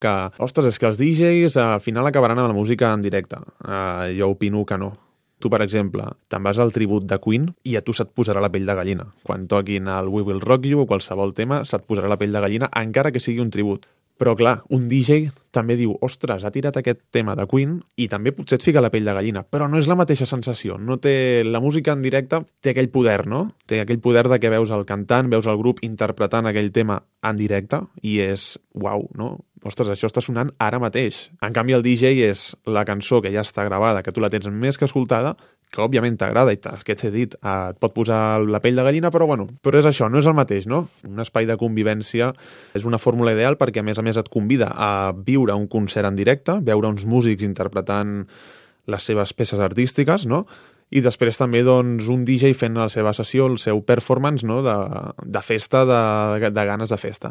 que, ostres, és que els DJs al final acabaran amb la música en directe. Jo opino que no. Tu, per exemple, te'n vas al tribut de Queen i a tu se't posarà la pell de gallina. Quan toquin el We Will Rock You o qualsevol tema, se't posarà la pell de gallina, encara que sigui un tribut. Però, clar, un DJ també diu, ostres, ha tirat aquest tema de Queen i també potser et fica la pell de gallina, però no és la mateixa sensació. No té... La música en directe té aquell poder, no? Té aquell poder de que veus el cantant, veus el grup interpretant aquell tema en directe i és, uau, no? Ostres, això està sonant ara mateix. En canvi, el DJ és la cançó que ja està gravada, que tu la tens més que escoltada, que òbviament t'agrada i que t'he dit, et pot posar la pell de gallina, però bueno, però és això, no és el mateix, no? Un espai de convivència és una fórmula ideal perquè a més et convida a viure un concert en directe, veure uns músics interpretant les seves peces artístiques, no? I després també doncs, un DJ fent la seva sessió, el seu performance, no? de festa, de ganes de festa.